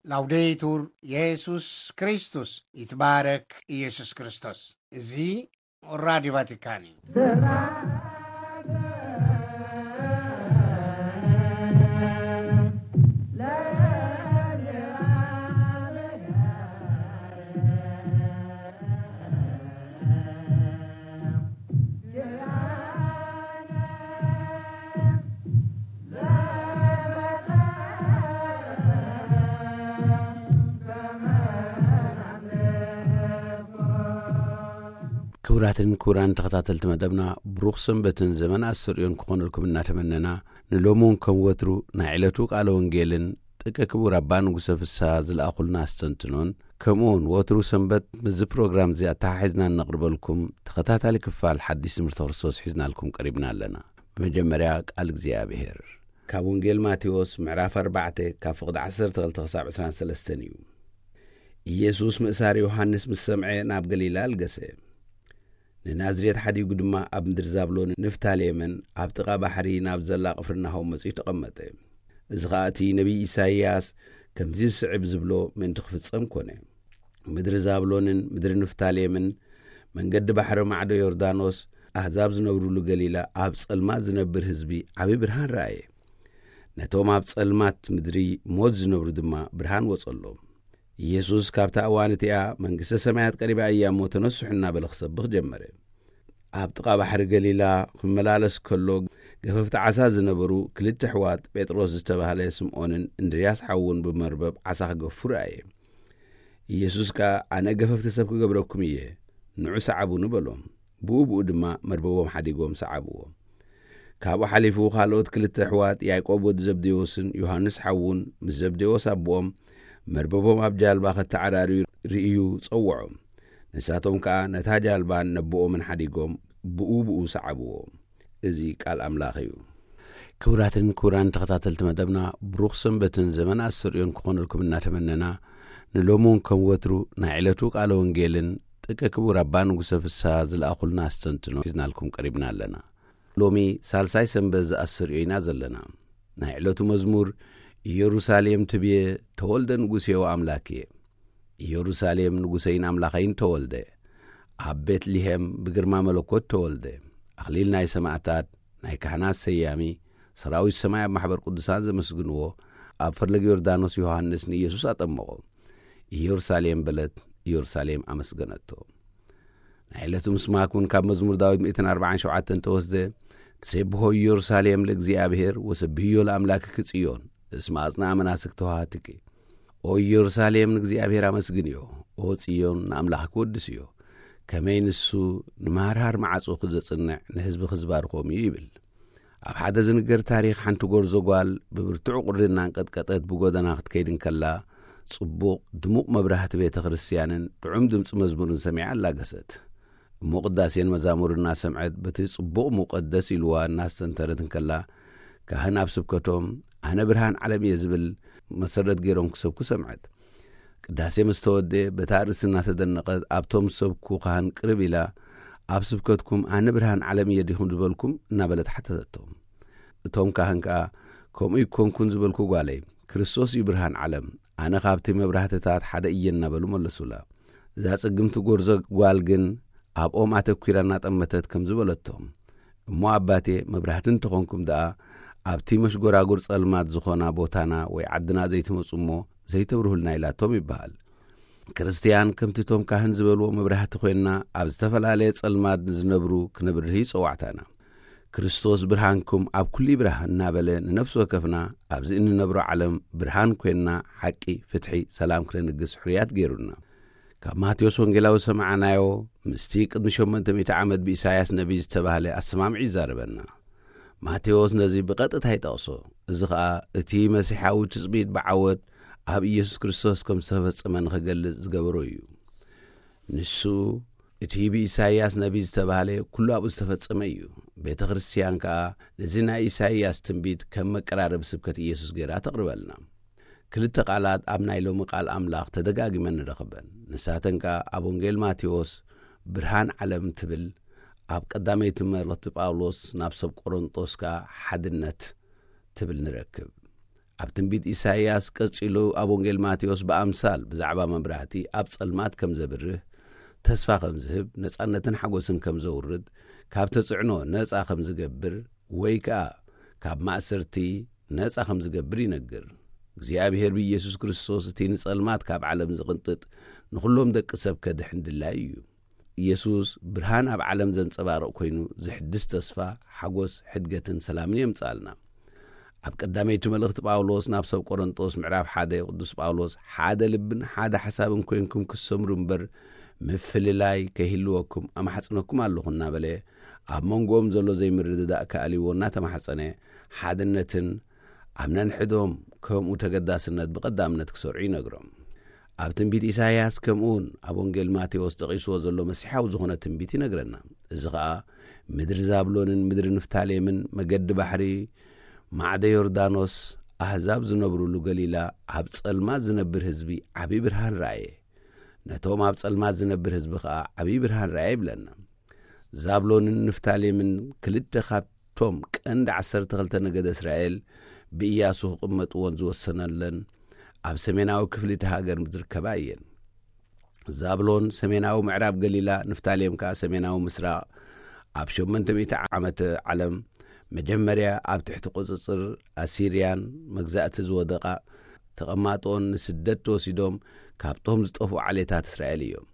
ላውዴቱር የሱስ ክርስቶስ፣ ይትባረክ ኢየሱስ ክርስቶስ። እዚ ራዲዮ ቫቲካን እዩ። ክቡራትን ክቡራን ተኸታተልቲ መደብና፣ ብሩኽ ሰንበትን ዘመን ኣስተርእዮን ክኾነልኩም እናተመነና፣ ንሎሚ እውን ከም ወትሩ ናይ ዕለቱ ቃለ ወንጌልን ጥቀ ክቡር ኣባ ንጉሰ ፍስሃ ዝለኣኹልና ኣስተንትኖን፣ ከምኡ እውን ወትሩ ሰንበት ምስዚ ፕሮግራም እዚ ኣተሓሒዝና እነቕርበልኩም ተኸታታሊ ክፋል ሓዲስ ትምህርቲ ክርስቶስ ሒዝናልኩም ቀሪብና ኣለና። ብመጀመርያ ቃል እግዚኣብሔር ካብ ወንጌል ማቴዎስ ምዕራፍ ኣርባዕተ ካብ ፍቕዲ ዓሰርተ ክልተ ክሳብ ዕስራን ሰለስተን እዩ። ኢየሱስ ምእሳር ዮሃንስ ምስ ሰምዐ ናብ ገሊላ ኣልገሰ። ንናዝሬት ሓዲጉ ድማ ኣብ ምድሪ ዛብሎን ንፍታሌምን ኣብ ጥቓ ባሕሪ ናብ ዘላ ቅፍርናሆም መጺኡ ተቐመጠ። እዚ ኸኣ እቲ ነቢይ ኢሳይያስ ከምዚ ዝስዕብ ዝብሎ ምእንቲ ክፍጸም ኮነ። ምድሪ ዛብሎንን ምድሪ ንፍታሌምን፣ መንገዲ ባሕሪ ማዕዶ ዮርዳኖስ፣ ኣህዛብ ዝነብሩሉ ገሊላ፣ ኣብ ጸልማት ዝነብር ህዝቢ ዓቢ ብርሃን ረኣየ። ነቶም ኣብ ጸልማት ምድሪ ሞት ዝነብሩ ድማ ብርሃን ወጸሎም። ኢየሱስ ካብታ እዋን እቲኣ መንግስተ ሰማያት ቀሪባ እያ እሞ ተነስሑ እናበለ ክሰብኽ ጀመረ። ኣብ ጥቓ ባሕሪ ገሊላ ክመላለስ ከሎ ገፈፍቲ ዓሳ ዝነበሩ ክልተ ኣሕዋት ጴጥሮስ ዝተባህለ ስምዖንን እንድርያስ ሓዉን ብመርበብ ዓሳ ክገፉ ረኣየ። ኢየሱስ ከኣ ኣነ ገፈፍቲ ሰብ ክገብረኩም እየ፣ ንዑ ሰዓቡኒ በሎም። ብኡ ብኡ ድማ መርበቦም ሓዲጎም ሰዓብዎ። ካብኡ ሓሊፉ ካልኦት ክልተ ኣሕዋት ያዕቆብ ወዲ ዘብዴዎስን ዮሃንስ ሓዉን ምስ ዘብዴዎስ ኣቦኦም መርበቦም ኣብ ጃልባ ከተዓራርዩ ርእዩ ጸውዖም። ንሳቶም ከኣ ነታ ጃልባን ነቦኦምን ሓዲጎም ብኡ ብኡ ሰዓብዎ። እዚ ቃል ኣምላኽ እዩ። ክቡራትን ክቡራን ተኸታተልቲ መደብና፣ ብሩኽ ሰንበትን ዘመን ኣስተርእዮን ክኾነልኩም እናተመነና፣ ንሎሚ እውን ከም ወትሩ ናይ ዕለቱ ቃለ ወንጌልን ጥቀ ክቡር ኣባ ንጉሰ ፍስሃ ዝለኣኹልና ኣስተንትኖ ሒዝናልኩም ቀሪብና ኣለና። ሎሚ ሳልሳይ ሰንበት ዘኣስተርእዮ ኢና ዘለና። ናይ ዕለቱ መዝሙር፣ ኢየሩሳሌም ትብየ ተወልደ ንጉሴ ወኣምላክየ። ኢየሩሳሌም ንጉሰይን ኣምላኸይን ተወልደ። ኣብ ቤትልሄም ብግርማ መለኮት ተወልደ። ኣኽሊል ናይ ሰማዕታት፣ ናይ ካህናት ሰያሚ፣ ሰራዊት ሰማይ ኣብ ማሕበር ቅዱሳን ዘመስግንዎ፣ ኣብ ፈለግ ዮርዳኖስ ዮሃንስ ንኢየሱስ ኣጠመቖ። ኢየሩሳሌም በለት፣ ኢየሩሳሌም ኣመስገነቶ። ናይ ዕለቱ ምስማክ እውን ካብ መዝሙር ዳዊት ሚእትን ኣርባዓን ሸውዓተን ተወስደ። ትሴብሖ ኢየሩሳሌም ለእግዚኣብሔር ወሰብህዮ ለኣምላክኪ ጽዮን፣ እስመ ኣጽንኣ መናስክ ተዋሃትኪ። ኦ ኢየሩሳሌም ንእግዚኣብሔር ኣመስግንዮ፣ ኦ ጽዮን ንኣምላኽኪ ወድስዮ። ከመይ ንሱ ንማርሃር መዓጹኺ ዘጽንዕ ንህዝብኺ ዝባርኾም እዩ ይብል። ኣብ ሓደ ዝንገር ታሪኽ ሓንቲ ጎርዞ ጓል ብብርቱዕ ቁሪ እናንቀጥቀጠት ብጎደና ክትከይድ እንከላ ጽቡቕ ድሙቕ መብራህቲ ቤተ ክርስቲያንን ጥዑም ድምጺ መዝሙርን ሰሚዓ ኣላገሰት። እሞ ቅዳሴን መዛሙር እናሰምዐት በቲ ጽቡቕ ሙቐት ደስ ኢልዋ እናስተንተረት እንከላ ካህን ኣብ ስብከቶም ኣነ ብርሃን ዓለም እየ ዝብል መሰረት ገይሮም ክሰብኩ ሰምዐት። ቅዳሴ ምስ ተወደ በታ ኣርእስቲ እናተደነቐት ኣብቶም ዝሰብኩ ካህን ቅርብ ኢላ ኣብ ስብከትኩም ኣነ ብርሃን ዓለም እየ ዲኹም ዝበልኩም እናበለት ሓተተቶም። እቶም ካህን ከኣ ከምኡ ይኮንኩን ዝበልኩ ጓለይ፣ ክርስቶስ እዩ ብርሃን ዓለም፣ ኣነ ካብቲ መብራህትታት ሓደ እየ እናበሉ መለሱላ። እዛ ጽግምቲ ጎርዞ ጓል ግን ኣብኦም ኣተኲራ እናጠመተት ከም ዝበለቶም፣ እሞ ኣባቴ መብራህቲ እንተኾንኩም ደኣ ኣብቲ መሽጎራጉር ጸልማት ዝኾና ቦታና ወይ ዓድና ዘይትመጹ እሞ ዘይተብርሁልና ኢላቶም ይበሃል። ክርስትያን ከምቲ እቶም ካህን ዝበልዎ መብራህቲ ኮይንና ኣብ ዝተፈላለየ ጸልማት ንዝነብሩ ክነብርህ እዩ ጸዋዕታና። ክርስቶስ ብርሃንኩም ኣብ ኩሉ ይብራህ እናበለ ንነፍሲ ወከፍና ኣብዚ እንነብሮ ዓለም ብርሃን ኮይንና ሓቂ፣ ፍትሒ፣ ሰላም ክነንግስ ሕሩያት ገይሩና። ካብ ማቴዎስ ወንጌላዊ ዝሰማዕናዮ ምስቲ ቅድሚ ሸሞንተ ሚእቲ ዓመት ብኢሳይያስ ነቢይ ዝተባህለ ኣሰማምዒ ይዛረበና። ማቴዎስ ነዚ ብቐጥታ ይጠቕሶ። እዚ ኸኣ እቲ መሲሓዊ ትጽቢት ብዓወት ኣብ ኢየሱስ ክርስቶስ ከም ዝተፈጸመ ንኽገልጽ ዝገበሮ እዩ። ንሱ እቲ ብኢሳይያስ ነቢይ ዝተባህለ ኩሉ ኣብኡ ዝተፈጸመ እዩ። ቤተ ክርስትያን ከኣ ነዚ ናይ ኢሳይያስ ትንቢት ከም መቀራረቢ ስብከት ኢየሱስ ገይራ ተቕርበልና። ክልተ ቃላት ኣብ ናይ ሎሚ ቃል ኣምላኽ ተደጋጊመን ንረኽበን። ንሳተን ከኣ ኣብ ወንጌል ማቴዎስ ብርሃን ዓለም ትብል፣ ኣብ ቀዳመይቲ መልእኽቲ ጳውሎስ ናብ ሰብ ቆሮንጦስ ከኣ ሓድነት ትብል ንረክብ። ኣብ ትንቢት ኢሳይያስ ቀጺሉ ኣብ ወንጌል ማቴዎስ ብኣምሳል ብዛዕባ መብራህቲ ኣብ ጸልማት ከም ዘብርህ፣ ተስፋ ከም ዝህብ፣ ነጻነትን ሓጎስን ከም ዘውርድ፣ ካብ ተጽዕኖ ነጻ ከም ዝገብር፣ ወይ ከኣ ካብ ማእሰርቲ ነጻ ከም ዝገብር ይነግር። እግዚኣብሔር ብኢየሱስ ክርስቶስ እቲ ንጸልማት ካብ ዓለም ዝቕንጥጥ፣ ንኹሎም ደቂ ሰብ ከድሕን ድላይ እዩ። ኢየሱስ ብርሃን ኣብ ዓለም ዘንጸባርቕ ኮይኑ፣ ዝሕድስ ተስፋ፣ ሓጎስ፣ ሕድገትን ሰላምን የምጽኣልና። ኣብ ቀዳመይቲ መልእኽቲ ጳውሎስ ናብ ሰብ ቆሮንጦስ ምዕራፍ ሓደ ቅዱስ ጳውሎስ፣ "ሓደ ልብን ሓደ ሓሳብን ኮይንኩም ክትሰምሩ እምበር፣ ምፍልላይ ከይህልወኩም ኣማሕጽነኩም ኣለኹ" እናበለ፣ ኣብ መንጎኦም ዘሎ ዘይምርድዳእ ክኣልይዎ እናተማሕጸነ፣ ሓድነትን ኣብ ነንሕዶም ከምኡ ተገዳስነት ብቐዳምነት ክሰርዑ ይነግሮም። ኣብ ትንቢት ኢሳይያስ ከምኡውን ኣብ ወንጌል ማቴዎስ ጠቒስዎ ዘሎ መሲሓዊ ዝኾነ ትንቢት ይነግረና። እዚ ኸኣ ምድሪ ዛብሎንን ምድሪ ንፍታሌምን፣ መገዲ ባሕሪ፣ ማዕደ ዮርዳኖስ፣ ኣህዛብ ዝነብሩሉ ገሊላ፣ ኣብ ጸልማት ዝነብር ህዝቢ ዓቢ ብርሃን ረኣየ። ነቶም ኣብ ጸልማት ዝነብር ህዝቢ ኸኣ ዓቢ ብርሃን ረኣየ ይብለና። ዛብሎንን ንፍታሌምን ክልተ ካብቶም ቀንዲ ዓሰርተ ክልተ ነገደ እስራኤል ብኢያሱ ክቕመጥዎን ዝወሰነለን ኣብ ሰሜናዊ ክፍሊ እቲ ሃገር ዝርከባ እየን። ዛብሎን ሰሜናዊ ምዕራብ ገሊላ፣ ንፍታሌም ከኣ ሰሜናዊ ምስራቕ፣ ኣብ ሸሞንተ ሚእቲ ዓመተ ዓለም መጀመርያ ኣብ ትሕቲ ቁጽጽር ኣሲርያን መግዛእቲ ዝወደቓ፣ ተቐማጦን ንስደት ተወሲዶም ካብቶም ዝጠፍኡ ዓሌታት እስራኤል እዮም።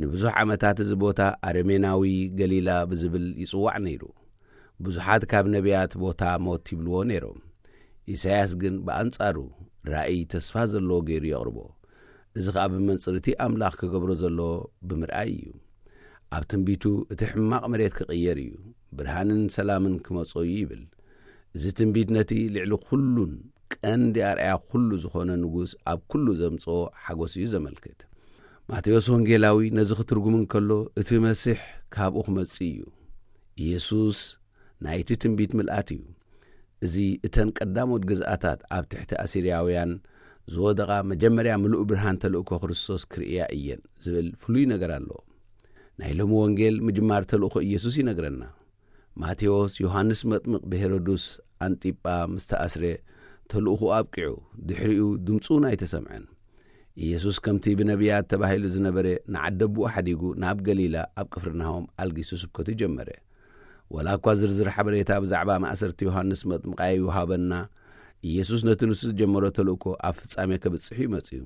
ንብዙሕ ዓመታት እዚ ቦታ ኣረሜናዊ ገሊላ ብዝብል ይጽዋዕ ነይሩ። ብዙሓት ካብ ነቢያት ቦታ ሞት ይብልዎ ነይሮም። ኢሳይያስ ግን ብኣንጻሩ ራእይ ተስፋ ዘለዎ ገይሩ የቕርቦ። እዚ ኸኣ ብመንጽር እቲ ኣምላኽ ክገብሮ ዘሎ ብምርኣይ እዩ። ኣብ ትንቢቱ፣ "እቲ ሕማቕ መሬት ክቕየር እዩ፣ ብርሃንን ሰላምን ክመጾ እዩ" ይብል። እዚ ትንቢት ነቲ ልዕሊ ኩሉን ቀንዲ ኣርኣያ ኩሉ ዝኾነ ንጉስ ኣብ ኩሉ ዘምጽኦ ሓጎስ እዩ ዘመልክት። ማቴዎስ ወንጌላዊ ነዚ ክትርጉም እንከሎ፣ እቲ መሲሕ ካብኡ ክመጽእ እዩ። ኢየሱስ ናይቲ ትንቢት ምልኣት እዩ። እዚ እተን ቀዳሞት ግዝኣታት ኣብ ትሕቲ ኣሲርያውያን ዝወደቓ መጀመርያ ምሉእ ብርሃን ተልእኮ ክርስቶስ ክርእያ እየን ዝብል ፍሉይ ነገር ኣሎ። ናይ ሎሚ ወንጌል ምጅማር ተልእኮ ኢየሱስ ይነግረና። ማቴዎስ፣ ዮሃንስ መጥምቕ ብሄሮድስ ኣንጢጳ ምስ ተኣስረ፣ ተልእኹ ኣብቂዑ፣ ድሕሪኡ ድምጹ እውን ኣይተሰምዐን። ኢየሱስ ከምቲ ብነቢያት ተባሂሉ ዝነበረ፣ ንዓደቦኡ ሓዲጉ ናብ ገሊላ ኣብ ቅፍርናሆም ኣልጊሱ ስብከቱ ጀመረ። ወላ እኳ ዝርዝር ሓበሬታ ብዛዕባ ማእሰርቲ ዮሃንስ መጥምቕ ኣይወሃበና፣ ኢየሱስ ነቲ ንሱ ዝጀመሮ ተልእኮ ኣብ ፍጻሜ ከብጽሕ እዩ መጺኡ።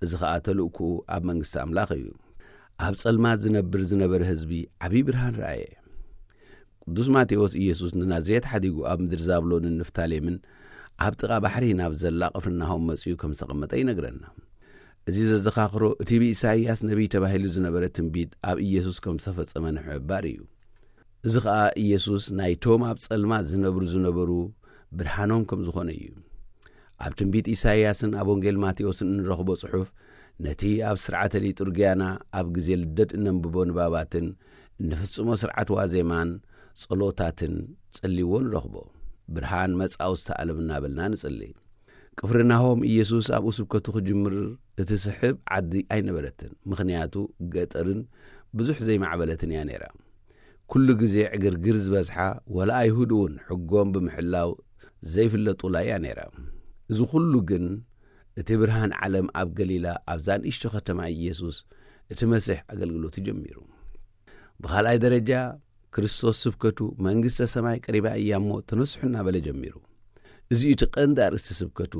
እዚ ኸኣ ተልእኮኡ ኣብ መንግስቲ ኣምላኽ እዩ። ኣብ ጸልማት ዝነብር ዝነበረ ህዝቢ ዓብዪ ብርሃን ረኣየ። ቅዱስ ማቴዎስ ኢየሱስ ንናዝሬት ሓዲጉ ኣብ ምድሪ ዛብሎንን ንፍታሌምን ኣብ ጥቓ ባሕሪ ናብ ዘላ ቅፍርናሆም መጺኡ ከም ዝተቐመጠ ይነግረና። እዚ ዘዘኻኽሮ እቲ ብኢሳይያስ ነቢይ ተባሂሉ ዝነበረ ትንቢት ኣብ ኢየሱስ ከም ዝተፈጸመ ንምሕባር እዩ። እዚ ኸኣ ኢየሱስ ናይቶም ኣብ ጸልማት ዝነብሩ ዝነበሩ ብርሃኖም ከም ዝኾነ እዩ። ኣብ ትንቢት ኢሳይያስን ኣብ ወንጌል ማቴዎስን እንረኽቦ ጽሑፍ፣ ነቲ ኣብ ስርዓተ ሊጡርግያና ኣብ ግዜ ልደት እነንብቦ ንባባትን እንፍጽሞ ስርዓት ዋዜማን ጸሎታትን ጸልይዎ ንረኽቦ። "ብርሃን መጻ ውስተ ዓለም" እናበልና ንጽሊ። ቅፍርናሆም ኢየሱስ ኣብኡ ስብከቱ ክጅምር እትስሕብ ዓዲ ኣይነበረትን፣ ምኽንያቱ ገጠርን ብዙሕ ዘይማዕበለትን እያ ነይራ። ኩሉ ግዜ ዕግርግር ዝበዝሓ፣ ወላ ኣይሁድ እውን ሕጎም ብምሕላው ዘይፍለጡላ እያ ነይራ። እዚ ኩሉ ግን እቲ ብርሃን ዓለም ኣብ ገሊላ ኣብዛ ንእሽቶ ከተማ ኢየሱስ እቲ መሲሕ ኣገልግሎቱ ጀሚሩ። ብኻልኣይ ደረጃ ክርስቶስ ስብከቱ መንግስተ ሰማይ ቀሪባ እያ እሞ ተነስሑ እናበለ ጀሚሩ። እዚ እዩ እቲ ቀንዲ ኣርእስቲ ስብከቱ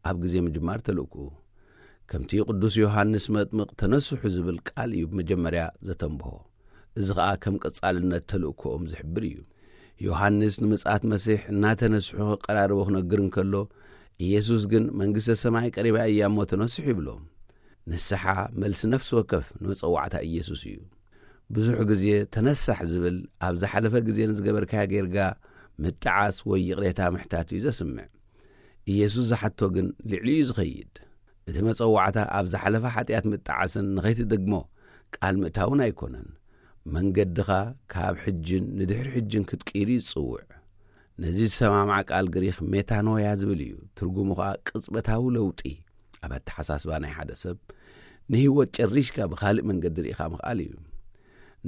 ኣብ ግዜ ምጅማር ተልእኮኡ። ከምቲ ቅዱስ ዮሃንስ መጥምቕ ተነስሑ ዝብል ቃል እዩ ብመጀመርያ ዘተንብሆ። እዚ ኸኣ ከም ቀጻልነት ተልእኮኦም ዝሕብር እዩ። ዮሃንስ ንምጽኣት መሲሕ እናተነስሑ ክቀራረቡ ክነግር እንከሎ፣ ኢየሱስ ግን መንግስተ ሰማይ ቀሪባ እያ እሞ ተነስሑ ይብሎም። ንስሓ መልሲ ነፍሲ ወከፍ ንመጸዋዕታ ኢየሱስ እዩ። ብዙሕ ግዜ ተነሳሕ ዝብል ኣብ ዝሓለፈ ግዜ ንዝገበርካዮ ጌርጋ ምጥዓስ ወይ ይቕሬታ ምሕታት እዩ ዘስምዕ። ኢየሱስ ዝሓቶ ግን ልዕሊኡ እዩ ዝኸይድ። እቲ መጸዋዕታ ኣብ ዝሓለፈ ሓጢኣት ምጥዓስን ንኸይትደግሞ ቃል ምእታውን ኣይኮነን። መንገድኻ ካብ ሕጅን ንድሕሪ ሕጅን ክትቅይር እዩ ዝጽውዕ። ነዚ ዝሰማማዕ ቃል ግሪኽ ሜታኖያ ዝብል እዩ። ትርጉሙ ኸኣ ቅጽበታዊ ለውጢ ኣብ ኣተሓሳስባ ናይ ሓደ ሰብ፣ ንህይወት ጨሪሽካ ብኻልእ መንገዲ ርኢኻ ምኽኣል እዩ።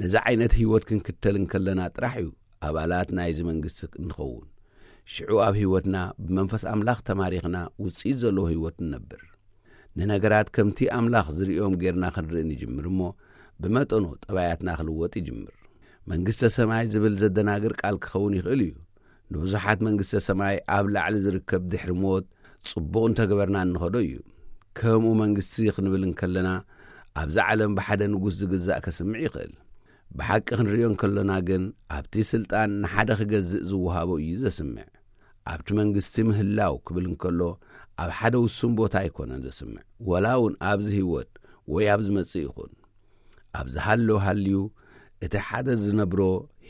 ነዚ ዓይነት ህይወት ክንክተል እንከለና ጥራሕ እዩ ኣባላት ናይዚ መንግስቲ እንኸውን። ሽዑ ኣብ ህይወትና ብመንፈስ ኣምላኽ ተማሪኽና ውጽኢት ዘለዎ ህይወት ንነብር። ንነገራት ከምቲ ኣምላኽ ዝርእዮም ጌርና ክንርኢ ንጅምር እሞ፣ ብመጠኑ ጠባያትና ክልወጥ ይጅምር። መንግስተ ሰማይ ዝብል ዘደናግር ቃል ክኸውን ይኽእል እዩ። ንብዙሓት መንግስተ ሰማይ ኣብ ላዕሊ ዝርከብ ድሕሪ ሞት ጽቡቕ እንተገበርና እንኸዶ እዩ። ከምኡ መንግስቲ ክንብል እንከለና፣ ኣብዚ ዓለም ብሓደ ንጉስ ዝግዛእ ከስምዕ ይኽእል። ብሓቂ ክንርእዮ እንከሎና ግን፣ ኣብቲ ስልጣን ንሓደ ክገዝእ ዝወሃቦ እዩ ዘስምዕ። ኣብቲ መንግስቲ ምህላው ክብል እንከሎ፣ ኣብ ሓደ ውሱን ቦታ ኣይኮነን ዘስምዕ፣ ወላ እውን ኣብዚ ህይወት ወይ ኣብ ዝመጽእ ይኹን። ኣብ ዝሃሎ ሃልዩ፣ እቲ ሓደ ዝነብሮ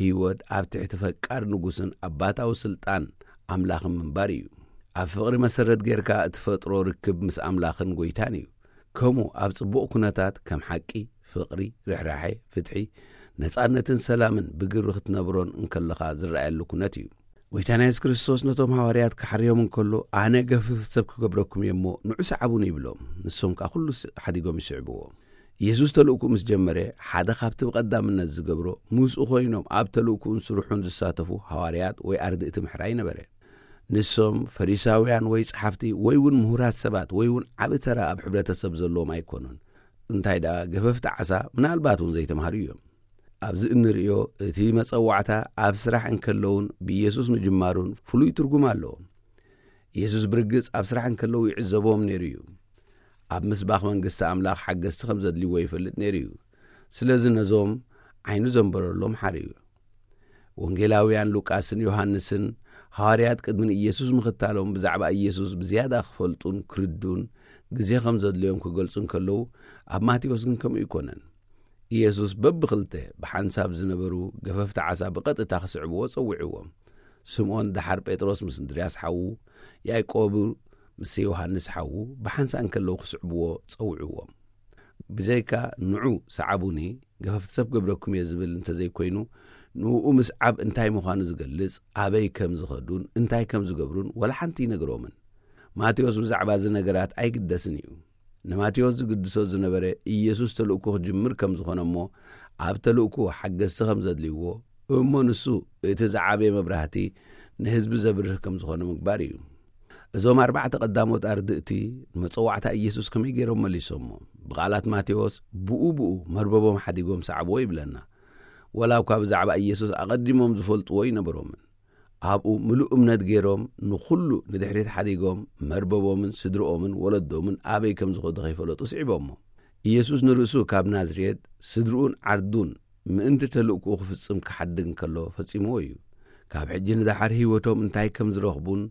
ህይወት ኣብ ትሕቲ ፈቃር ንጉስን ኣባታዊ ስልጣን ኣምላኽን ምንባር እዩ። ኣብ ፍቕሪ መሰረት ጌርካ እትፈጥሮ ርክብ ምስ ኣምላኽን ጎይታን እዩ። ከምኡ ኣብ ጽቡቕ ኩነታት ከም ሓቂ፣ ፍቕሪ፣ ርሕራሐ፣ ፍትሒ፣ ነጻነትን ሰላምን ብግብሪ ክትነብሮን እንከለኻ ዝረኣየሉ ኩነት እዩ። ጎይታና የሱስ ክርስቶስ ነቶም ሃዋርያት ክሓርዮም እንከሎ፣ "ኣነ ገፍፍ ሰብ ክገብረኩም እየ እሞ፣ ንዑ ሰዓቡኒ" ይብሎም። ንሶም ከኣ ኩሉ ስ-፣ ሓዲጎም ይስዕብዎ። የሱስ ተልእኩ ምስ ጀመረ፣ ሓደ ካብቲ ብቐዳምነት ዝገብሮ፣ ምስኡ ኮይኖም ኣብ ተልእኩኡን ስርሑን ዝሳተፉ ሃዋርያት ወይ ኣርድእቲ ምሕራይ ነበረ። ንሶም ፈሪሳውያን ወይ ጸሓፍቲ ወይ እውን ምሁራት ሰባት ወይ እውን ዓቢ ተራ ኣብ ሕብረተሰብ ዘለዎም ኣይኮኑን። እንታይ ደኣ፣ ገፈፍቲ ዓሳ ምናልባት እውን ዘይተማህሩ እዮም። ኣብዚ እንርእዮ፣ እቲ መጸዋዕታ ኣብ ስራሕ እንከለውን ብኢየሱስ ምጅማሩን ፍሉይ ትርጉም ኣለዎ። ኢየሱስ ብርግጽ ኣብ ስራሕ እንከለዉ ይዕዘቦም ነይሩ እዩ። ኣብ ምስባኽ መንግስቲ ኣምላኽ ሓገዝቲ ከም ዘድልይዎ ይፈልጥ ነይሩ እዩ። ስለዚ ነዞም ዓይኑ ዘንበረሎም ሓርዩ። ወንጌላውያን ሉቃስን ዮሃንስን ሃዋርያት ቅድሚ ንኢየሱስ ምኽታሎም ብዛዕባ ኢየሱስ ብዝያዳ ክፈልጡን ክርዱን ግዜ ከም ዘድልዮም ክገልጹ እንከለዉ፣ ኣብ ማቴዎስ ግን ከምኡ ኣይኮነን። ኢየሱስ በብኽልተ ብሓንሳብ ዝነበሩ ገፈፍቲ ዓሳ ብቐጥታ ክስዕብዎ ጸዊዕዎም። ስምዖን ደሓር ጴጥሮስ ምስ እንድርያስ ሓዉ፣ ያዕቆብ ምስ ዮሃንስ ሓዉ ብሓንሳእ እንከለዉ ክስዕብዎ ጸዊዕዎም። ብዘይካ "ንዑ ሰዓቡኒ፣ ገፈፍቲ ሰብ ክገብረኩም እየ" ዝብል እንተዘይኮይኑ፣ ንኡ ምስዓብ እንታይ ምዃኑ ዝገልጽ፣ ኣበይ ከም ዝኸዱን እንታይ ከም ዝገብሩን ወላ ሓንቲ ይነግሮምን። ማቴዎስ ብዛዕባ እዚ ነገራት ኣይግደስን እዩ። ንማቴዎስ ዝግድሶ ዝነበረ ኢየሱስ ተልእኮ ክጅምር ከም ዝኾነ እሞ፣ ኣብ ተልእኮ ሓገዝቲ ከም ዘድልይዎ፣ እሞ ንሱ እቲ ዝዓበየ መብራህቲ ንህዝቢ ዘብርህ ከም ዝኾነ ምግባር እዩ። እዞም ኣርባዕተ ቀዳሞት ኣርድእቲ ንመጸዋዕታ ኢየሱስ ከመይ ገይሮም መሊሶሞ? ብቓላት ማቴዎስ፣ "ብኡ ብኡ መርበቦም ሓዲጎም ሰዓብዎ" ይብለና። ወላ እኳ ብዛዕባ ኢየሱስ ኣቐዲሞም ዝፈልጥዎ ይነበሮምን። ኣብኡ ምሉእ እምነት ገይሮም ንኹሉ ንድሕሪት ሓዲጎም መርበቦምን ስድርኦምን ወለዶምን ኣበይ ከም ዝኸዱ ከይፈለጡ ስዒቦሞ። ኢየሱስ ንርእሱ ካብ ናዝሬት ስድርኡን ዓርዱን ምእንቲ ተልእኮኡ ክፍጽም ክሓድግ እንከሎ ፈጺምዎ እዩ። ካብ ሕጂ ንደሓር ህይወቶም እንታይ ከም ዝረኽቡን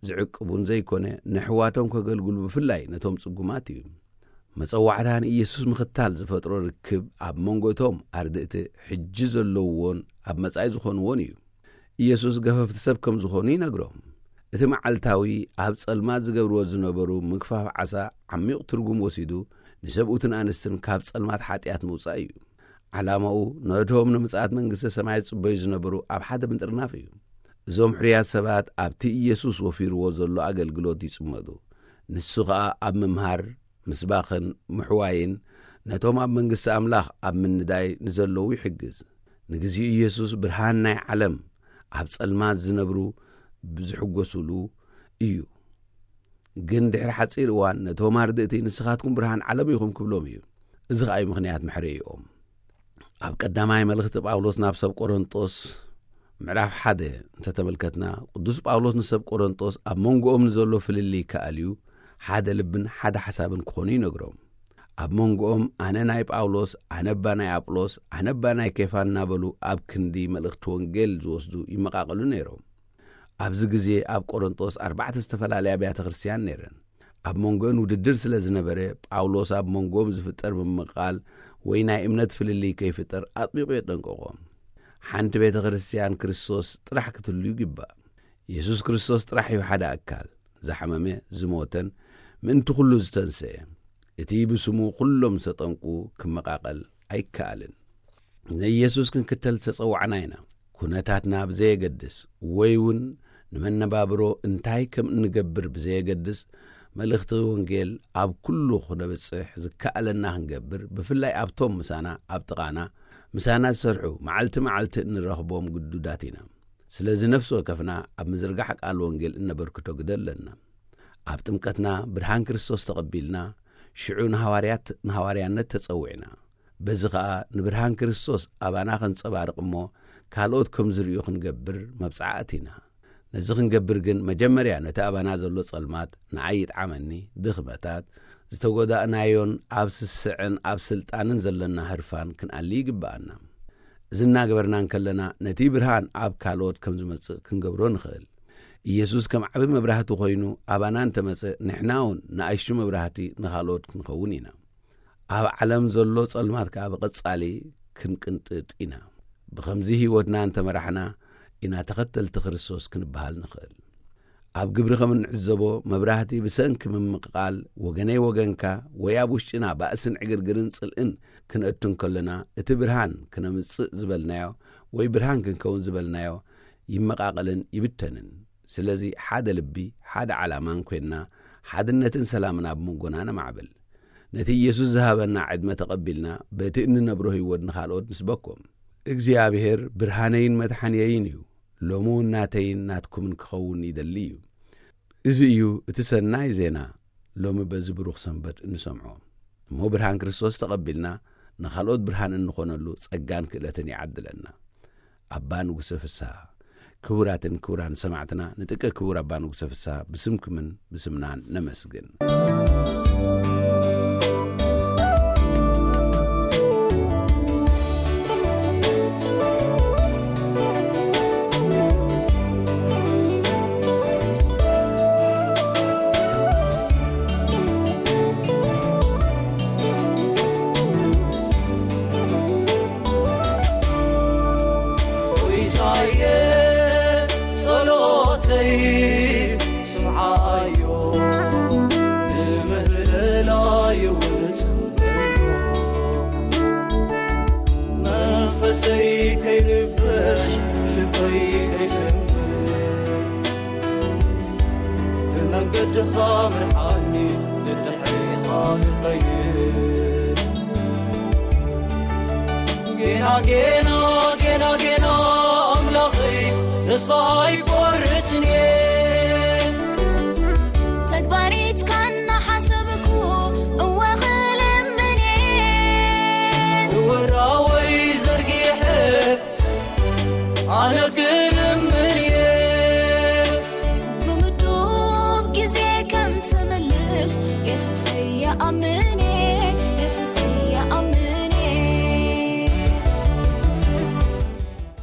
ዝዕቅቡን ዘይኮነ፣ ንኣሕዋቶም ከገልግሉ ብፍላይ ነቶም ጽጉማት እዩ። መጸዋዕታ ንኢየሱስ ምኽታል ዝፈጥሮ ርክብ ኣብ መንጎ እቶም ኣርድእቲ ሕጂ ዘለውዎን ኣብ መጻኢ ዝኾንዎን እዩ። ኢየሱስ ገፈፍቲ ሰብ ከም ዝኾኑ ይነግሮም። እቲ መዓልታዊ ኣብ ጸልማት ዝገብርዎ ዝነበሩ ምግፋፍ ዓሳ ዓሚቕ ትርጉም ወሲዱ፣ ንሰብኡትን ኣንስትን ካብ ጸልማት ሓጢኣት ምውጻእ እዩ። ዓላማኡ ነቶም ንምጽኣት መንግስቲ ሰማይ ዝጽበዩ ዝነበሩ ኣብ ሓደ ምጥርናፍ እዩ። እዞም ሕሩያት ሰባት ኣብቲ ኢየሱስ ወፊርዎ ዘሎ ኣገልግሎት ይጽመዱ። ንሱ ኸኣ ኣብ ምምሃር፣ ምስባኽን ምሕዋይን፣ ነቶም ኣብ መንግስቲ ኣምላኽ ኣብ ምንዳይ ንዘለዉ ይሕግዝ። ንግዚኡ ኢየሱስ ብርሃን ናይ ዓለም ኣብ ጸልማት ዝነብሩ ብዝሕጎሱሉ እዩ። ግን ድሕሪ ሓጺር እዋን ነቶም ኣርድእቲ "ንስኻትኩም ብርሃን ዓለም ኢኹም" ክብሎም እዩ። እዚ ኸኣ እዩ ምኽንያት መሕረይኦም። ኣብ ቀዳማይ መልእኽቲ ጳውሎስ ናብ ሰብ ቆሮንጦስ ምዕራፍ ሓደ እንተተመልከትና፣ ቅዱስ ጳውሎስ ንሰብ ቆሮንጦስ ኣብ መንጎኦም ንዘሎ ፍልልይ ክኣልዩ፣ ሓደ ልብን ሓደ ሓሳብን ክኾኑ ይነግሮም። ኣብ መንጎኦም "ኣነ ናይ ጳውሎስ፣ ኣነ እባ ናይ ኣጵሎስ፣ ኣነ እባ ናይ ኬፋ" እናበሉ ኣብ ክንዲ መልእኽቲ ወንጌል ዝወስዱ ይመቓቐሉ ነይሮም። ኣብዚ ግዜ ኣብ ቆሮንጦስ ኣርባዕተ ዝተፈላለያ ኣብያተ ክርስትያን ነይረን። ኣብ መንጎአን ውድድር ስለ ዝነበረ፣ ጳውሎስ ኣብ መንጎኦም ዝፍጠር ምምቕቓል ወይ ናይ እምነት ፍልልይ ከይፍጠር ኣጥቢቑ የጠንቅቖም። ሓንቲ ቤተ ክርስትያን ክርስቶስ ጥራሕ ክትህሉ ይግባእ። የሱስ ክርስቶስ ጥራሕ እዩ ሓደ ኣካል፣ ዝሓመመ፣ ዝሞተን ምእንቲ ኩሉ ዝተንስኤ። እቲ ብስሙ ኩሎም ዝተጠንቁ ክመቓቐል ኣይከኣልን። ንኢየሱስ ክንክተል ዝተጸዋዕና ኢና። ኩነታትና ብዘየገድስ ወይ እውን ንመነባብሮ እንታይ ከም እንገብር ብዘየገድስ፣ መልእኽቲ ወንጌል ኣብ ኩሉ ክነብጽሕ ዝከኣለና ክንገብር፣ ብፍላይ ኣብቶም ምሳና ኣብ ጥቓና፣ ምሳና ዝሰርሑ፣ መዓልቲ መዓልቲ እንረኽቦም ግዱዳት ኢና። ስለዚ ነፍሲ ወከፍና ኣብ ምዝርጋሕ ቃል ወንጌል እነበርክቶ ግደ ኣለና። ኣብ ጥምቀትና ብርሃን ክርስቶስ ተቐቢልና፣ ሽዑ ንሃዋርያት፣ ንሃዋርያነት ተጸዊዕና። በዚ ኸኣ ንብርሃን ክርስቶስ ኣባና ኸንጸባርቕ እሞ፣ ካልኦት ከም ዝርእዩ ክንገብር መብጽዓ ኣቲና። ነዚ ክንገብር ግን መጀመርያ ነቲ ኣባና ዘሎ ጸልማት ንዓይ ይጥዓመኒ፣ ድኽመታት፣ ዝተጎዳእናዮን ኣብ ስስዕን ኣብ ስልጣንን ዘለና ህርፋን ክንኣሊ ይግብኣና። እዚ እናገበርና እንከለና ነቲ ብርሃን ኣብ ካልኦት ከም ዝመጽእ ክንገብሮ ንኽእል። ኢየሱስ ከም ዓቢ መብራህቲ ኮይኑ ኣባና እንተመጸ፣ ንሕና እውን ንኣሽቱ መብራህቲ ንኻልኦት ክንኸውን ኢና። ኣብ ዓለም ዘሎ ጸልማት ከኣ ብቐጻሊ ክንቅንጥጥ ኢና። ብኸምዚ ህይወትና እንተመራሕና ኢና ተኸተልቲ ክርስቶስ ክንበሃል ንኽእል። ኣብ ግብሪ ከም እንዕዘቦ፣ መብራህቲ ብሰንኪ ምምቕቓል ወገነይ ወገንካ ወይ ኣብ ውሽጥና ባእስን ዕግርግርን ጽልእን ክንእቱ እንከለና፣ እቲ ብርሃን ክነምጽእ ዝበልናዮ ወይ ብርሃን ክንከውን ዝበልናዮ ይመቓቐልን ይብተንን። ስለዚ ሓደ ልቢ፣ ሓደ ዓላማን ኮይንና፣ ሓድነትን ሰላምን ኣብ መንጎና ነማዕብል። ነቲ ኢየሱስ ዝሃበና ዕድመ ተቐቢልና፣ በቲ እንነብሮ ህይወት ንኻልኦት ንስበኮም። እግዚኣብሔር ብርሃነይን መድሓንየይን እዩ። ሎሚ እውን ናተይን ናትኩምን ክኸውን ይደሊ እዩ። እዚ እዩ እቲ ሰናይ ዜና፣ ሎሚ በዚ ብሩኽ ሰንበት እንሰምዖ። እሞ ብርሃን ክርስቶስ ተቐቢልና፣ ንኻልኦት ብርሃን እንኾነሉ ጸጋን ክእለትን ይዓድለና። ኣባ ንጉሰ ፍስሃ። ክቡራትን ክቡራን ሰማዕትና፣ ንጥቀ ክቡር ኣባ ንጉሰ ፍስሃ ብስምኩምን ብስምናን ነመስግን። ጎይታየ፣ ጸሎተይ ስምዓዮ፣ ንምህለላይ እውን ጽንበሎ። መንፈሰይ ከይርበሽ፣ ልበይ ከይሰንብድ፣ ብመንገድኻ ምርሓኒ፣ ንድሕሪኻ ክኸይድ። ጌና፣ ጌና፣ ጌና፣ ጌና ኣምላኸይ፣ ተስፋ ኣይቆርጽን እየ። ተግባሪትካ እናሓሰብኩ እወ ክልምን እየ። እወ ዳወይ ዘርጊሐ ኣነ ክልምን እየ። ብምዱብ ግዜ ከም ትምልስ የሱስ እየ ኣምኔ፣ የሱስ እየ ኣምኔ።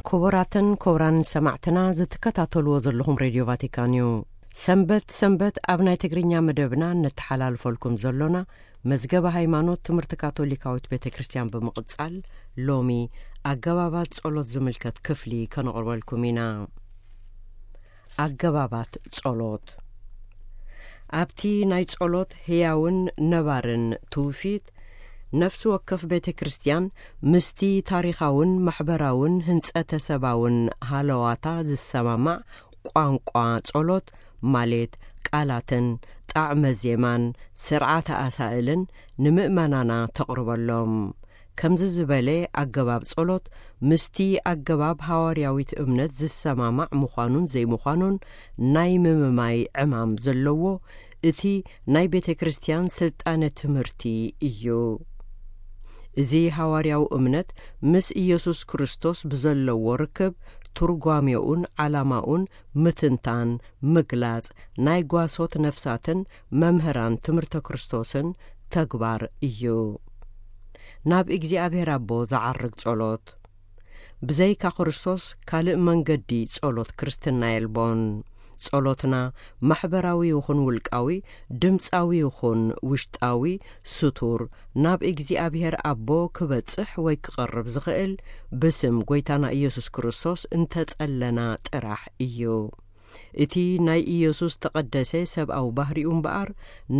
ክቡራትን ክቡራን ሰማዕትና፣ ዝትከታተልዎ ዘለኹም ሬድዮ ቫቲካን እዩ። ሰንበት ሰንበት ኣብ ናይ ትግርኛ መደብና እነተሓላልፈልኩም ዘሎና መዝገበ ሃይማኖት ትምህርቲ ካቶሊካዊት ቤተ ክርስቲያን ብምቕጻል፣ ሎሚ ኣገባባት ጸሎት ዝምልከት ክፍሊ ከነቕርበልኩም ኢና። ኣገባባት ጸሎት። ኣብቲ ናይ ጸሎት ህያውን ነባርን ትውፊት፣ ነፍሲ ወከፍ ቤተ ክርስቲያን ምስቲ ታሪኻውን ማሕበራውን ህንጸተ ሰባውን ሃለዋታ ዝሰማማዕ ቋንቋ ጸሎት፣ ማለት ቃላትን ጣዕመ ዜማን ስርዓተ ኣሳእልን ንምእመናና ተቕርበሎም። ከምዚ ዝበለ ኣገባብ ጸሎት ምስቲ ኣገባብ ሃዋርያዊት እምነት ዝሰማማዕ ምዃኑን ዘይምዃኑን ናይ ምምማይ ዕማም ዘለዎ እቲ ናይ ቤተ ክርስቲያን ስልጣነ ትምህርቲ እዩ። እዚ ሃዋርያዊ እምነት ምስ ኢየሱስ ክርስቶስ ብዘለዎ ርክብ፣ ትርጓሜኡን ዓላማኡን ምትንታን፣ ምግላጽ ናይ ጓሶት ነፍሳትን መምህራን ትምህርተ ክርስቶስን ተግባር እዩ። ናብ እግዚኣብሔር ኣቦ ዝዓርግ ጸሎት። ብዘይካ ክርስቶስ ካልእ መንገዲ ጸሎት ክርስትና የልቦን። ጸሎትና ማሕበራዊ ይኹን ውልቃዊ፣ ድምጻዊ ይኹን ውሽጣዊ፣ ስቱር፣ ናብ እግዚኣብሔር ኣቦ ክበጽሕ ወይ ክቐርብ ዝኽእል ብስም ጐይታና ኢየሱስ ክርስቶስ እንተጸለና ጥራሕ እዩ። እቲ ናይ ኢየሱስ ተቐደሰ ሰብኣዊ ባህሪኡ እምበኣር፣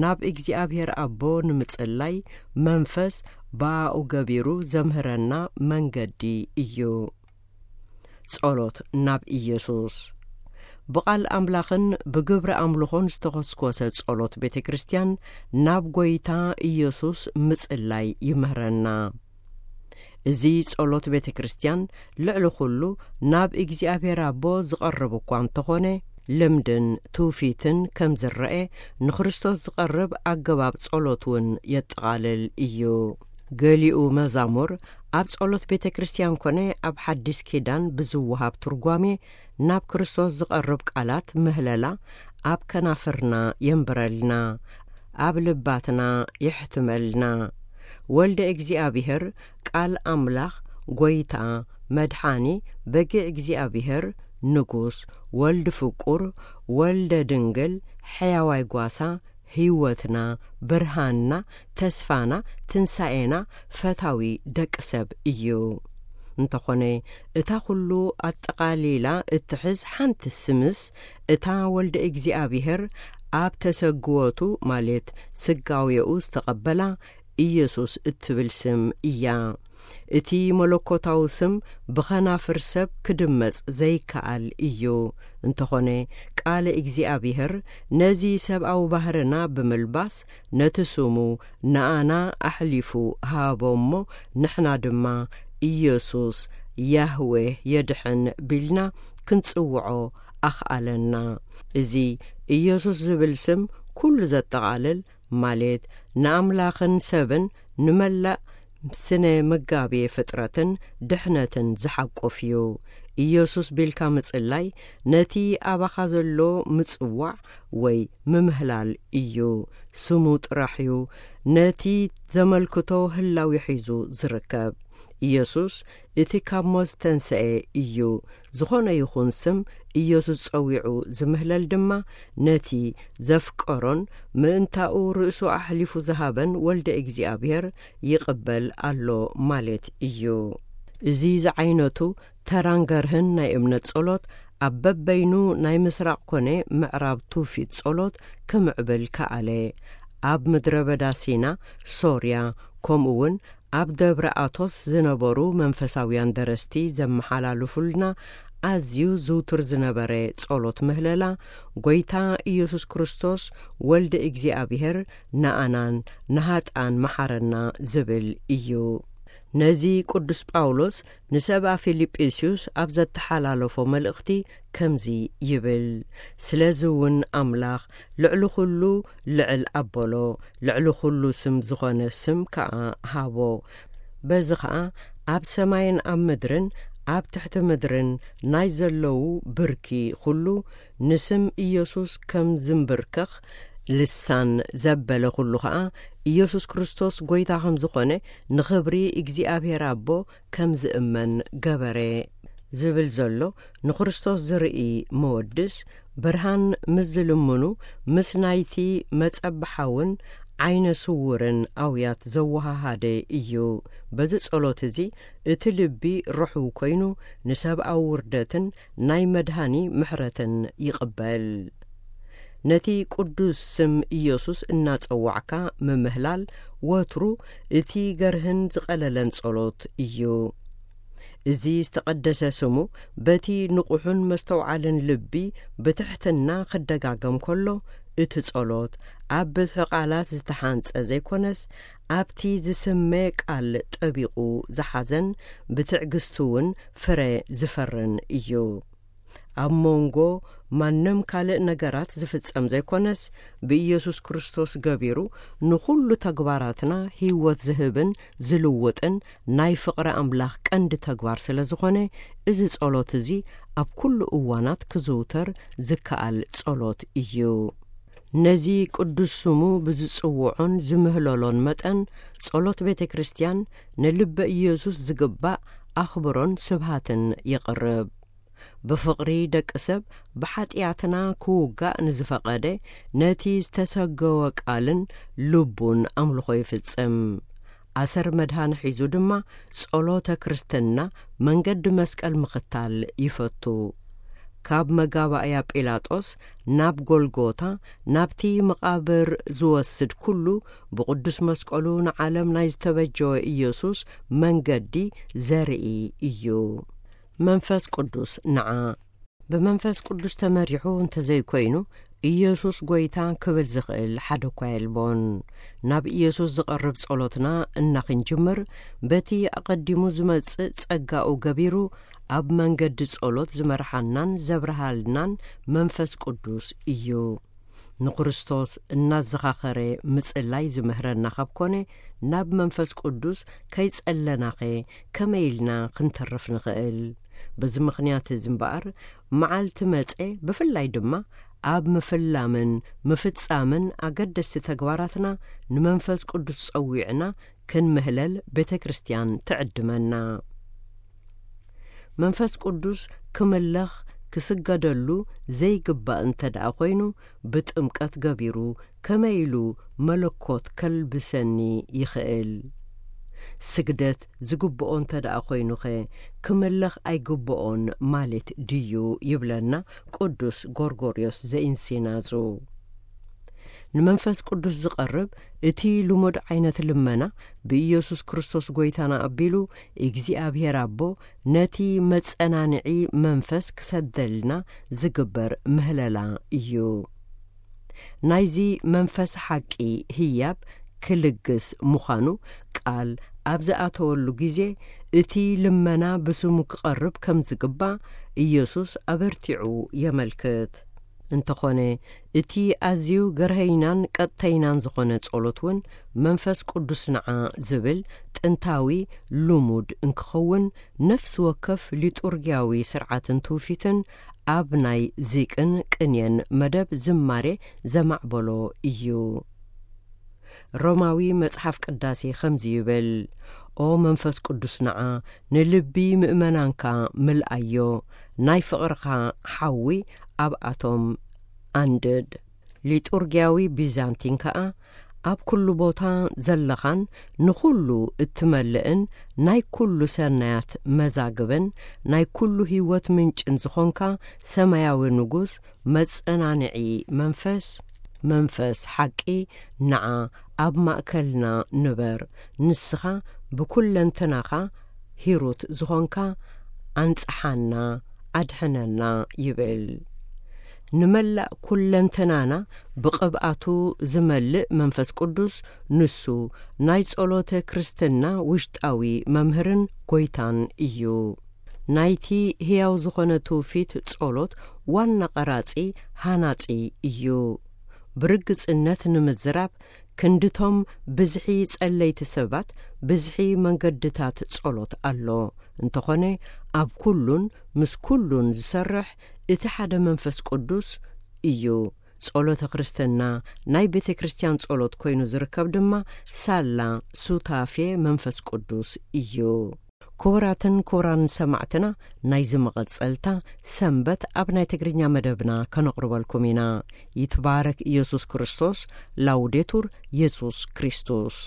ናብ እግዚኣብሔር ኣቦ ንምጽላይ መንፈስ ብኣኡ ገቢሩ ዘምህረና መንገዲ እዩ። ጸሎት ናብ ኢየሱስ። ብቓል ኣምላኽን ብግብሪ ኣምልኾን ዝተኾስኮሰ ጸሎት ቤተ ክርስቲያን ናብ ጐይታ ኢየሱስ ምጽላይ ይምህረና። እዚ ጸሎት ቤተ ክርስቲያን ልዕሊ ኩሉ ናብ እግዚኣብሔር ኣቦ ዝቐርብ እኳ እንተኾነ፣ ልምድን ትውፊትን ከም ዝረኤ ንክርስቶስ ዝቐርብ ኣገባብ ጸሎት እውን የጠቓልል እዩ። ገሊኡ መዛሙር ኣብ ጸሎት ቤተ ክርስቲያን ኮነ ኣብ ሓዲስ ኪዳን ብዝወሃብ ትርጓሜ ናብ ክርስቶስ ዝቐርብ ቃላት ምህለላ ኣብ ከናፍርና የንብረልና፣ ኣብ ልባትና የሕትመልና። ወልደ እግዚኣብሔር፣ ቃል ኣምላኽ፣ ጐይታ፣ መድሓኒ፣ በጊዕ እግዚኣብሔር፣ ንጉስ፣ ወልድ ፍቁር፣ ወልደ ድንግል፣ ሕያዋይ ጓሳ፣ ህይወትና፣ ብርሃንና፣ ተስፋና፣ ትንሳኤና፣ ፈታዊ ደቂ ሰብ እዩ። እንተኾነ፣ እታ ኩሉ ኣጠቓሊላ እትሕዝ ሓንቲ ስምስ፣ እታ ወልደ እግዚኣብሔር ኣብ ተሰግወቱ፣ ማለት ስጋዌኡ ዝተቐበላ ኢየሱስ እትብል ስም እያ። እቲ መለኮታዊ ስም ብኸናፍር ሰብ ክድመጽ ዘይከኣል እዩ። እንተኾነ፣ ቃለ እግዚኣብሔር ነዚ ሰብኣዊ ባህርና ብምልባስ፣ ነቲ ስሙ ንኣና ኣሕሊፉ ሃቦ እሞ፣ ንሕና ድማ ኢየሱስ፣ ያህዌህ የድሕን ቢልና ክንጽውዖ ኣኽኣለና። እዚ ኢየሱስ ዝብል ስም ኩሉ ዘጠቓልል፣ ማለት ንኣምላኽን ሰብን ንመላእ ስነ መጋቤ ፍጥረትን ድሕነትን ዝሓቁፍ እዩ። ኢየሱስ ቢልካ ምጽላይ ነቲ ኣባኻ ዘሎ ምጽዋዕ ወይ ምምህላል እዩ። ስሙ ጥራሕ እዩ ነቲ ዘመልክቶ ህላዊ ሒዙ ዝርከብ። ኢየሱስ እቲ ካብ ሞት ዝተንስኤ እዩ። ዝኾነ ይኹን ስም ኢየሱስ ጸዊዑ ዝምህለል ድማ ነቲ ዘፍቀሮን ምእንታኡ ርእሱ ኣሕሊፉ ዝሃበን ወልደ እግዚኣብሔር ይቕበል ኣሎ ማለት እዩ። እዚ ዝዓይነቱ ተራን ገርህን ናይ እምነት ጸሎት ኣብ በበይኑ ናይ ምስራቕ ኮነ ምዕራብ ትውፊት ጸሎት ክምዕብል ከኣለ። ኣብ ምድረ በዳ ሲና፣ ሶርያ፣ ከምኡ እውን ኣብ ደብረ ኣቶስ ዝነበሩ መንፈሳውያን ደረስቲ ዘመሓላልፉልና ኣዝዩ ዝውቱር ዝነበረ ጸሎት ምህለላ፣ "ጐይታ ኢየሱስ ክርስቶስ ወልደ እግዚኣብሔር ንኣናን ንሃጥኣን መሓረና" ዝብል እዩ። ነዚ ቅዱስ ጳውሎስ ንሰብኣ ፊልጵስዩስ ኣብ ዘተሓላለፎ መልእኽቲ ከምዚ ይብል፣ "ስለዚ እውን ኣምላኽ ልዕሊ ኹሉ ልዕል ኣበሎ፣ ልዕሊ ኹሉ ስም ዝኾነ ስም ከኣ ሃቦ። በዚ ኸኣ ኣብ ሰማይን ኣብ ምድርን ኣብ ትሕቲ ምድርን ናይ ዘለዉ ብርኪ ኹሉ ንስም ኢየሱስ ከም ዝምብርከኽ፣ ልሳን ዘበለ ኹሉ ኸኣ ኢየሱስ ክርስቶስ ጐይታ ከም ዝኾነ ንኽብሪ እግዚኣብሔር ኣቦ ከም ዝእመን ገበረ" ዝብል ዘሎ ንክርስቶስ ዝርኢ መወድስ፣ ብርሃን ምስ ዝልምኑ፣ ምስ ናይቲ መጸብሓውን ዓይነ ስውርን ኣውያት ዘወሃሃደ እዩ። በዚ ጸሎት እዚ እቲ ልቢ ርሑው ኮይኑ ንሰብኣዊ ውርደትን ናይ መድሃኒ ምሕረትን ይቕበል። ነቲ ቅዱስ ስም ኢየሱስ እናጸዋዕካ ምምህላል ወትሩ እቲ ገርህን ዝቐለለን ጸሎት እዩ። እዚ ዝተቐደሰ ስሙ በቲ ንቑሑን መስተውዓልን ልቢ ብትሕትና ክደጋገም ከሎ፣ እቲ ጸሎት ኣብ ብዝሒ ቃላት ዝተሓንጸ ዘይኮነስ፣ ኣብቲ ዝስመ ቃል ጠቢቑ ዝሓዘን ብትዕግስቲ እውን ፍረ ዝፈርን እዩ። ኣብ መንጎ ማንም ካልእ ነገራት ዝፍጸም ዘይኮነስ፣ ብኢየሱስ ክርስቶስ ገቢሩ ንኹሉ ተግባራትና ህይወት ዝህብን ዝልውጥን ናይ ፍቕሪ ኣምላኽ ቀንዲ ተግባር ስለ ዝኾነ፣ እዚ ጸሎት እዚ ኣብ ኩሉ እዋናት ክዝውተር ዝከኣል ጸሎት እዩ። ነዚ ቅዱስ ስሙ ብዝጽውዖን ዝምህለሎን መጠን፣ ጸሎት ቤተ ክርስቲያን ንልበ ኢየሱስ ዝግባእ ኣኽብሮን ስብሃትን የቕርብ። ብፍቕሪ ደቂ ሰብ ብሓጢኣትና ክውጋእ ንዝፈቐደ፣ ነቲ ዝተሰገወ ቃልን ልቡን ኣምልኾ ይፍጽም። ኣሰር መድሃኒ ሒዙ ድማ ጸሎተ ክርስትና መንገዲ መስቀል ምኽታል ይፈቱ። ካብ መጋባእያ ጲላጦስ ናብ ጎልጎታ፣ ናብቲ መቓብር ዝወስድ ኩሉ፣ ብቕዱስ መስቀሉ ንዓለም ናይ ዝተበጀወ ኢየሱስ መንገዲ ዘርኢ እዩ። መንፈስ ቅዱስ ንዓ። ብመንፈስ ቅዱስ ተመሪሑ እንተዘይኮይኑ፣ ኢየሱስ ጐይታ ክብል ዝኽእል ሓደ እኳ የልቦን። ናብ ኢየሱስ ዝቐርብ ጸሎትና እናኽንጅምር፣ በቲ ኣቐዲሙ ዝመጽእ ጸጋኡ ገቢሩ ኣብ መንገዲ ጸሎት ዝመርሓናን ዘብርሃልናን መንፈስ ቅዱስ እዩ። ንክርስቶስ እናዘኻኸረ ምጽላይ ዝምህረና ካብ ኮነ፣ ናብ መንፈስ ቅዱስ ከይጸለናኸ ከመይ ኢልና ክንተርፍ ንኽእል? በዚ ምኽንያት እዚ እምበኣር፣ መዓልቲ መጸ፣ ብፍላይ ድማ ኣብ ምፍላምን ምፍጻምን ኣገደስቲ ተግባራትና ንመንፈስ ቅዱስ ጸዊዕና ክንምህለል ቤተ ክርስቲያን ትዕድመና። መንፈስ ቅዱስ ክምለኽ ክስገደሉ ዘይግባእ እንተ ደኣ ኾይኑ፣ ብጥምቀት ገቢሩ ከመይ ኢሉ መለኮት ከልብሰኒ ይኽእል? ስግደት ዝግብኦ እንተ ደኣ ኾይኑኸ ክምለኽ ኣይግብኦን ማለት ድዩ? ይብለና ቅዱስ ጎርጎርዮስ ዘኢንሲናዙ። ንመንፈስ ቅዱስ ዝቐርብ እቲ ልሙድ ዓይነት ልመና፣ ብኢየሱስ ክርስቶስ ጐይታና ኣቢሉ እግዚኣብሔር ኣቦ ነቲ መጸናንዒ መንፈስ ክሰደልና ዝግበር ምህለላ እዩ። ናይዚ መንፈስ ሓቂ ህያብ ክልግስ ምዃኑ ቃል ኣብ ዝኣተወሉ ግዜ፣ እቲ ልመና ብስሙ ክቐርብ ከም ዝግባእ ኢየሱስ ኣበርቲዑ የመልክት። እንተኾነ፣ እቲ ኣዝዩ ገርሀይናን ቀጥተይናን ዝኾነ ጸሎት እውን መንፈስ ቅዱስ ንዓ ዝብል ጥንታዊ ልሙድ እንክኸውን፣ ነፍሲ ወከፍ ሊጡርጊያዊ ስርዓትን ትውፊትን ኣብ ናይ ዚቅን ቅንየን መደብ ዝማሬ ዘማዕበሎ እዩ። ሮማዊ መጽሓፍ ቅዳሴ ከምዚ ይብል፣ "ኦ መንፈስ ቅዱስ ንዓ፣ ንልቢ ምእመናንካ ምልኣዮ፣ ናይ ፍቕርኻ ሓዊ ኣብኣቶም ኣንድድ።" ሊጡርጊያዊ ቢዛንቲን ከኣ፣ "ኣብ ኩሉ ቦታ ዘለኻን ንኹሉ እትመልእን ናይ ኩሉ ሰናያት መዛግብን ናይ ኩሉ ህይወት ምንጭን ዝኾንካ ሰማያዊ ንጉስ መጸናንዒ መንፈስ፣ መንፈስ ሓቂ፣ ንዓ ኣብ ማእከልና ንበር፣ ንስኻ ብኩለንተናኻ ሂሩት ዝኾንካ ኣንጽሓና፣ ኣድሕነና" ይብል። ንመላእ ኩለንተናና ብቕብኣቱ ዝመልእ መንፈስ ቅዱስ፣ ንሱ ናይ ጸሎተ ክርስትና ውሽጣዊ መምህርን ጐይታን እዩ። ናይቲ ህያው ዝኾነ ትውፊት ጸሎት ዋና ቀራጺ፣ ሃናጺ እዩ። ብርግጽነት ንምዝራብ፣ ክንድቶም ብዝሒ ጸለይቲ ሰባት፣ ብዝሒ መንገድታት ጸሎት ኣሎ። እንተኾነ፣ ኣብ ኩሉን ምስ ኩሉን ዝሰርሕ እቲ ሓደ መንፈስ ቅዱስ እዩ። ጸሎተ ክርስትና ናይ ቤተ ክርስቲያን ጸሎት ኮይኑ ዝርከብ ድማ ሳላ ሱታፌ መንፈስ ቅዱስ እዩ። ክቡራትን ክቡራን ሰማዕትና፣ ናይዚ መቐጸልታ ሰንበት ኣብ ናይ ትግርኛ መደብና ከነቕርበልኩም ኢና። ይትባረክ ኢየሱስ ክርስቶስ። ላውዴቱር ኢየሱስ ክርስቶስ።